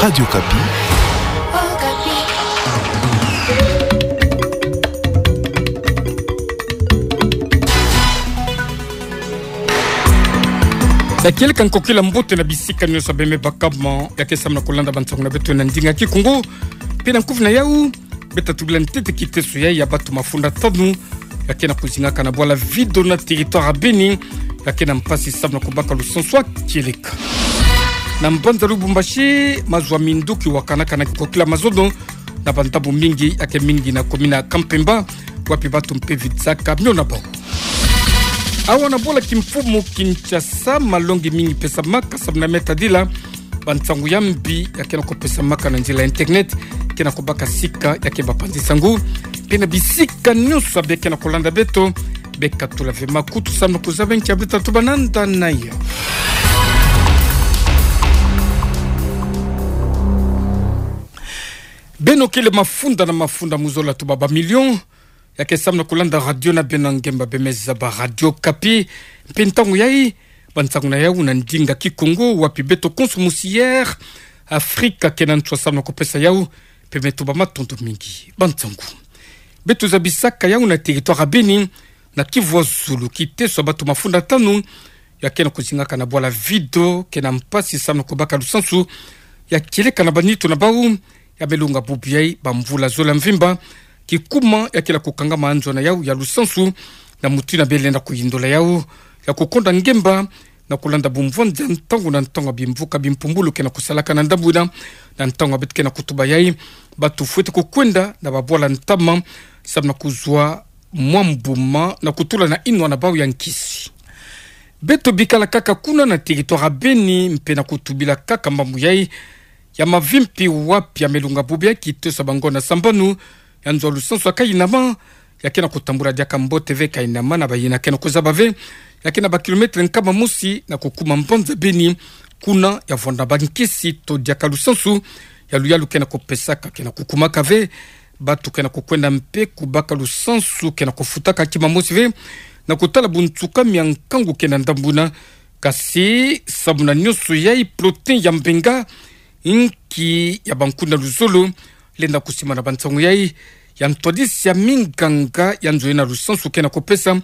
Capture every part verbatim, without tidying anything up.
Radio Okapi. Sakiele ka nkokila mbote na bisika nyonso beme bakama, ya ke samna kolanda bansangu na beto na ndinga Kikongo. Mpe na nkufi na yau, beta tubila ntete kiteso ya, ya batu mafunda tanu ya ke na kozingaka na bwala Vido na territoire ya Beni, ya ke na mpasi samna kobaka lusansu kieleka. Na mbanza Lubumbashi, mazono ya minduki wakanaka na kikokila mazono na bandambu mingi, ya ke mingi na commune ya Kampemba, wapi batu mpe vitsaka mio na bau. Awa na bwala kimfumu Kinshasa, malongi mingi pesamaka samna me tadila bansangu ya mbi ya ke na kopesamaka na nzila internet, ke na kobaka sika ya ke bapanzi sangu. Mpe na bisika nyonso be ke na kolanda beto, bekatula ve makutu samna kozaba nkia beta tuba nanda na yo. Beno kele mafunda na mafunda mu zola tuba ba million ya ke samna kolanda radio na beno ngemba beme zaba Radio Okapi. Mpe ntangu yai, bansangu na yau na ndinga Kikongo, wapi beto konso musi Air Afrika ke na nswa samna kopesa yau, mpe me tuba matondo mingi. Bansangu. Beto zabisaka yau na territoire ya Beni, na Kivu ya Zulu, kiteso ya batu mafunda tanu ya ke na kozingaka na bwala Vido, ke na mpasi samna kobaka lusansu ya kieleka na banitu na bau, ya me lunga bubu yai bamvula zola mvimba, kikuma ya kila kokangama nzo na yau ya lusansu, na muti na bele na koyindola yau ya kokonda ngemba, na kolanda bumvwandi ya ntangu na ntangu ya bimvuka bimpumbulu ke na kosalaka na ndambu ina, na ntangu ya beto ke na kotuba yai, batu fwete kokwenda na babwala ntama, samna kozwa mwa mbuma na kotula na inwa na bau ya nkisi. Beto bikala kaka kuna na territoire ya Beni, mpe na kotubila kaka mambu yai ya mavimpi, wapi ya me lunga bubu yai kiteso ya bangonda sambanu ya nzo ya lusansu ya Kainama, ya ke na kotambula diaka mbote ve. Kainama na bayina ke na kozaba ve, ya ke na ba kilomètre nkama mosi na kokuma mbanza Beni, kuna ya vwanda bankisi to diaka lusansu ya luyalu ke na kopesaka ke na kokumaka ve. Batu ke na kokwenda mpe kobaka lusansu ke na kofutaka kima mosi ve, na kotala bunsukami ya nkangu ke na ndambu ina. Kasi samuna nyonso yai, protein ya mbenga, inki ya bankuna luzolo, lenda kosima na bansangu yai ya ntwadisi ya minganga ya nzo ina lusansu ke na kopesa.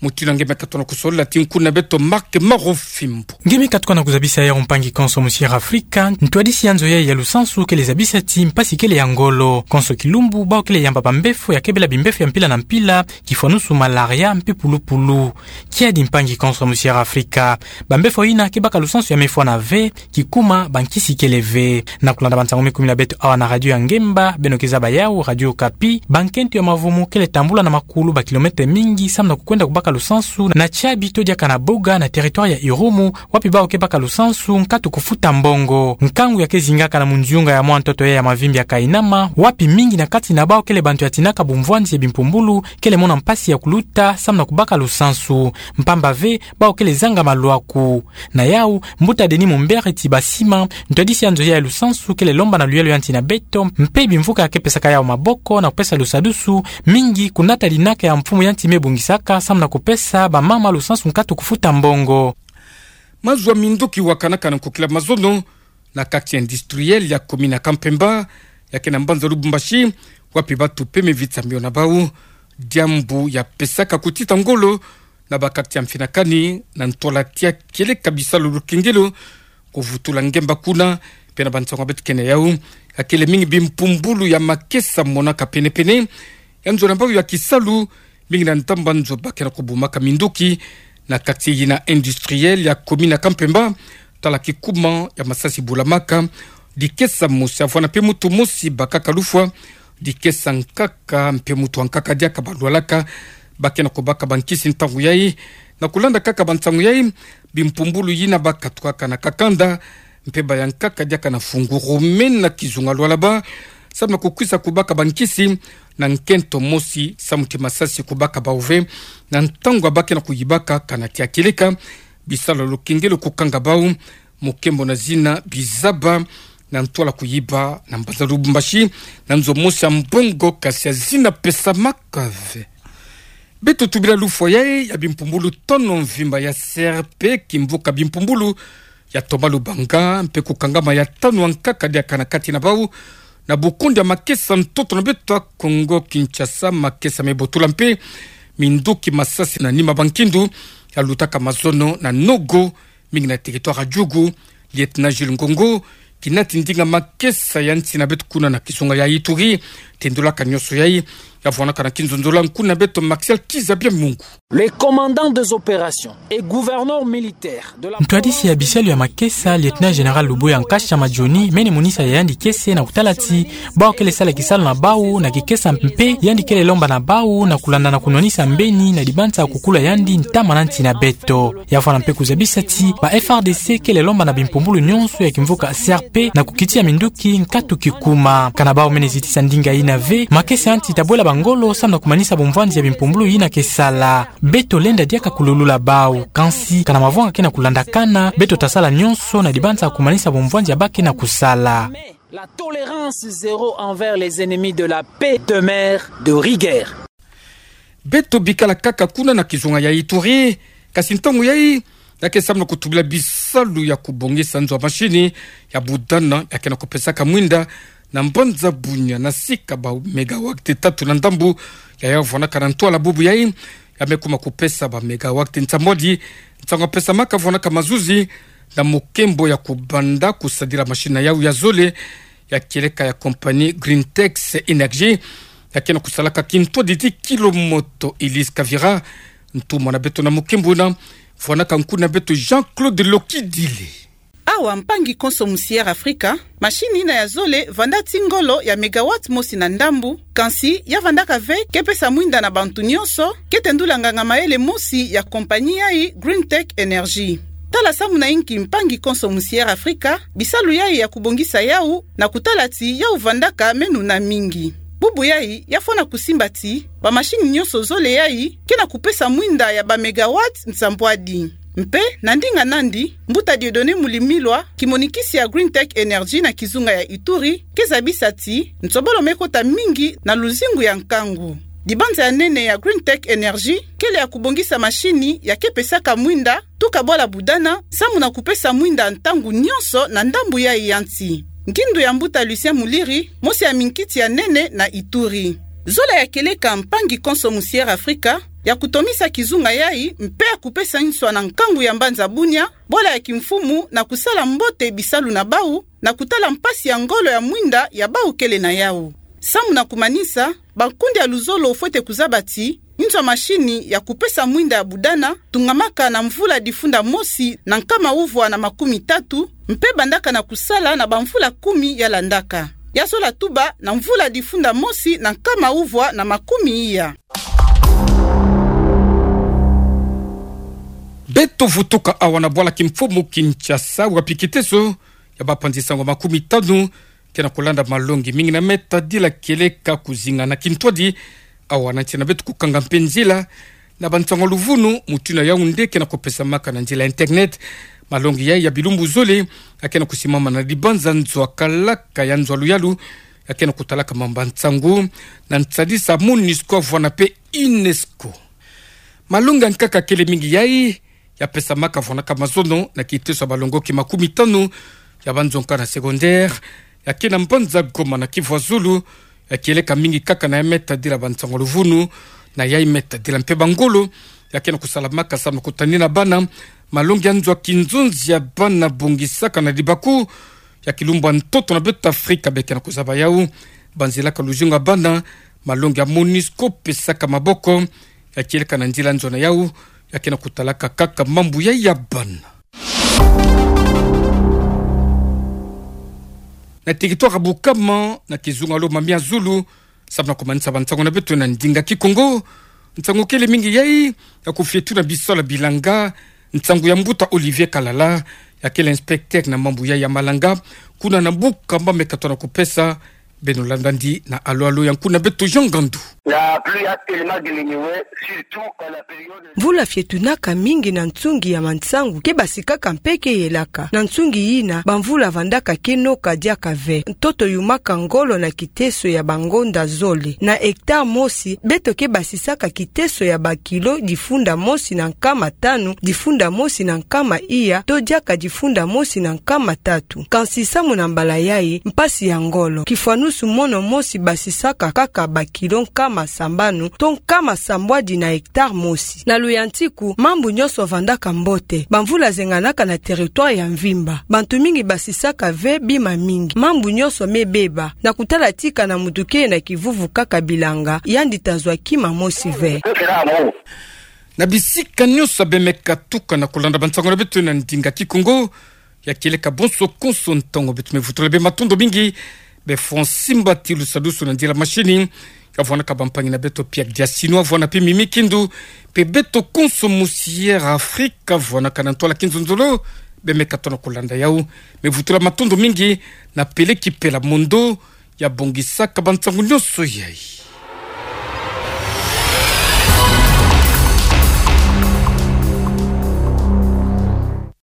Muti na nge me katona kosolola ti nkuna beto Marc Marofimbo. Nge me katuka na kozabisa yau, mpangi konso musi Air Afrika, ntwadisi ya nzo yai ya lusansu kele zabisa ti mpasi kele ya ngolo. Konso kilumbu, bau kele yamba bambefo ya kebela bimbefo ya mpila na mpila, kifwanusu malaria mpe pulupulu. Kiadi, mpangi konso musi Air Afrika, bambefo ina ke baka lusansu ya mefwana ve, kikuma bankisi kele ve. Na kolanda bansangu me kumi na beto awa na radio ya ngemba beno ke zaba yau, Radio Okapi, bankento ya mavumu kele tambula na makulu ba kilomètre mingi samna kokwenda kobaka lusansu na Tiabi to diaka na Boga na territoire ya Irumu, wapi bau ke baka lusansu nkatu kofuta mbongo. Nkangu ya ke zingaka na munzunga ya mwa ntoto ya, ya mavimpi ya Kainama, wapi mingi na kati na bau kele bantu ya tinaka bumvwandi ya bimpumbulu kele mona mpasi ya kuluta samna kobaka lusansu, mpamba ve bau kele zanga malwaku. Na yau, mbuta Denis Mumbere Tibasima, ntwadisi ya nzo yai ya lusansu, kele lomba na luyalu ya nti na beto mpe bimvuka ya ke pesaka yau maboko na kopesa lusadusu mingi, kunata linaka ya mfumu ya nti me bungisaka samna kopesa bamama lusansu nkatu kofuta mbongo. Mazono ya minduki wakanaka na nkokila mazono na quartier industriel ya commune ya Kampemba, ya ke na mbanza Lubumbashi, wapi batu mpe me vitsa mio na bau, diambu ya pesaka kotita ngolo na ba quartier ya mfinakani, na ntwala tia kieleka bisalu lukengelo, kovutula ngemba kuna. Mpe na bansangu ya beto ke na yau, ya kele mingi bimpumbulu ya makesa monaka pene-pene ya nzo na bau ya kisalu, mingi na ntamba nzo ba ke na kobumaka minduki na quartier yina industriel ya commune ya Kampemba, tala kikuma ya masasi bulamaka, dikesa mosi ya vwanda mpe mutu mosi bakaka lufwa, dikesa nkaka mpe mutu wa nkaka diaka balwalaka, ba ke na kobaka bankisi ntangu yai. Na kolanda kaka bansangu yai, bimpumbulu yina bakatukaka na kakanda, mpe bayankaka diaka na fungurume na kizunga lwalaba, samna kokwisa kobaka bankisi, na nkento mosi samu ti masasi kobaka bau ve, na ntangu ba ke na koyibaka kana tia kieleka bisalu ya lukengelo kokanga bau, mokembo na zina bizaba, na ntwala koyiba na mbanza Lubumbashi, na nzo mosi ya mbongo kasi ya zina pesamaka ve. Beto tubila lufwa yai ya bimpumbulu tono mvimba ya C R P, kimvuka bimpumbulu ya Thomas Lubanga, mpe kukangama ya tanu ankaka diaka na kati na bau, na bukundi ya makesa ntoto na beto ya Kongo Kinshasa, makesa mebotula mpe minduki masasi na nima bankindu, ya lutaka mazono na Nogo, mingi na territoire ya Djugu, Lieutenant Jules Ngongo, kina ti ndinga makesa ya nsi na beto kuna na kizunga ya Ituri, tendulaka nyonso yayi, ya vwanaka na kinzonzolo ya nkuna beto Maxiel Kiza Bia Mungu. Le commandant des opérations et gouverneur militaire de la Ntwadisi ya bisalu ya makesa, Lieutenant Général Luboya Nkasha Madjoni, mene monisa ya yandi kiese na kutala ti bau kele sala kisalu na bau na kikesa mpe yandi kele lomba na bau na kulanda na kunwanisa mbeni na dibanza ya kukula yandi ntama na nsi na beto. Ya vwana mpe kuzabisa ti ba F R D C kele lomba na bimpumbulu nyonso ya kimvuka C R P na kukitia minduki nkatu kikuma. Kana bau mene zitisa ndinga yina ve, makesa ya nsi tabwela bangolo samu na kumanisa bumvwanzi ya bimpumbulu yina ke sala. Beto lenda diaka kululula bau, kansi kana mavwanga ke na kulandakana, beto tasala nyonso na dibanza ya kumanisa bumvwanzi ya bau ke na kusala. La tolérance zéro envers les ennemis de la paix demeure de rigueur. Beto bikala kaka kuna na kizunga ya Ituri, kasi ntangu yayi, ya ke samu na kutubila bisalu ya kubongisa nzo ya mashini ya budana ya ke na kupesaka mwinda na mbanza Bunia na sika ba megawatt tatu na ndambu, ya ya vwanaka na ntwala bubu yayi, ya me kuma kupesa ba megawatt nsambwadi, nsangu ya pesamaka vwanaka mazuzi na mukembo ya kubanda kusadila mashini na yau ya zole, ya kieleka ya compagnie Greentex Energy, ya ke na kusalaka kintwadi ti kilo moto. Elise Kavira, ntumwa na beto na mukembo wuna, vwanaka nkuna beto Jean-Claude Lokidile. Awa mpangi konso musi Air Afrika, mashini yina ya zole vanda ti ngolo ya megawatt mosi na ndambu, kansi ya vandaka ve ke pesa mwinda na bantu nyonso, ke tendula nganga mayele mosi ya compagnie yayi Green Tech Energy. Tala samu na inki mpangi konso musi Air Afrika, bisalu yayi ya kubongisa yau, na kutala ti yau vandaka meno na mingi. Bubu yayi, ya fwana kusimba ti, ba mashini nyonso zole yayi, ke na kupesa mwinda ya ba megawatt nsambwadi. Mpe, na ndinga nandi, mbuta Dieudonné Mulimilwa, kimonikisi ya Green Tech Energy na kizunga ya Ituri, ke zabisa ti, nsobolo me kota mingi na luzingu ya nkangu. Dibanza ya nene ya Green Tech Energy, kele ya kubongisa mashini ya ke pesaka mwinda, tuka bwala budana, samu na kupesa mwinda ntangu nyonso na ndambu yayi ya nsi. Nkindu ya mbuta Lucien Muliri, mosi ya minkiti ya nene na Ituri. Zola ya kieleka mpangi konso musi Air Afrika, ya kutomisa kizunga yayi, mpe ya kupesa nswa na nkangu ya mbanza Bunia, bwala ya kimfumu na kusala mbote bisalu na bau, na kutala mpasi ya ngolo ya mwinda ya bau kele na yau. Samu na kumanisa, bankundi ya luzolo fwete kuzaba ti, nzo ya mashini ya kupesa mwinda ya budana, tungamaka na mvula difunda mosi na nkama uvwa na makumi tatu, mpe bandaka na kusala na bamvula kumi ya landaka. Ya zola tuba na mvula difunda mosi na nkama uvwa na makumi iya. Beto vutuka awa na bwala kimfumu Kinshasa, wapi kiteso ya bapanzi sango makumi tanu ke na kulanda malongi mingi na me tadila kieleka kuzinga na kintwadi, awa na nsi na beto kukanga mpe nzila na bansango ya luvunu, mutu na Yaoundé ke na kupesamaka na nzila internet. Malongi yayi ya bilumbu zole, ya ke na kusimama na dibanza nzo ya kalaka ya nzo ya luyalu, ya ke na kutalaka mamba nsangu, na nsadisa MONUSCO vwana mpe UNESCO. Malongi ya nkaka kele mingi yayi, ya pesamaka vwanaka mazono na kiteso ya balongoki makumi tanu ya banzo nkaka na secondaire, ya ke na mbanza Goma na Kivu ya Zulu, ya kieleka mingi kaka na ya me tadila bansango ya luvunu, na ya me tadila mpe bangolo, ya ke na kusalamaka samu na kutanina bana, malongi ya nzo ya kinzonzi ya bana bongisaka na dibaku, ya kilumbu ya ntoto na beto Afrika be ke na kuzaba yau, banzilaka luzingu ya bana, malongi ya MONUSCO pesaka maboko, ya kieleka na nzila nzo na yau, ya ke na kutalaka kaka mambu yayi ya bana. Na territoire ya Bukama, na kizunga Lomami ya Zulu, samu na kumanisa bansango na beto na ndinga Kikongo, nsango kele mingi yayi, ya kufietula bisalu ya bilanga, nsangu ya mbuta Olivier Kalala, ya kele inspecteur na mambu yayi ya malanga, kuna na Bukama me katona kupesa Beno landa ndi na alo alo ya nkuna beto Jean Ngandu. La pluie a tellement diminué, surtout en la période. Mvula fietunaka mingi na nsungi ya mansangu, ke basikaka mpe ke yelaka. Na nsungi yina, bamvula vandaka ke noka diaka ve. Ntoto yumaka ngolo na kiteso ya bangonda zole. Na hectare mosi, beto ke basisaka kiteso ya bakilo difunda mosi na nkama tanu, difunda mosi na nkama iya, to diaka difunda mosi na nkama tatu. Kansi samu na mbala yayi, mpasi ya ngolo, kifwanusu mono mosi basisaka kaka bakilo nkama sambanu, to nkama sambwadi na hectare mosi. Na luyantiku, mambu nyonso vandaka mbote. Bamvula zenganaka na territoire ya mvimba. Bantu mingi basisaka ve bima mingi. Mambu nyonso me beba. Na kutala tika na mutu ke na kivuvu kaka bilanga, yandi ta zwa kima mosi ve. Na bisika nyonso bemeka tuka na kulanda bansango na beto na ndinga Kikongo, ya kieleka bonso konso ntangu beto me vutula bê matondo mingi, bê Francis Mbati Lusadusu na nzila machine, ka vwanaka bampangi na beto Pierre Diasino, vwana mpe Mimi Kindu, mpe beto konso musi Air Afrique, vwanaka na ntwala kinzonzolo, bemeka tona kulanda yau, me vutula matondo mingi, na Pele Kipela Mondo, ya bongisaka bansango nyonso yayi.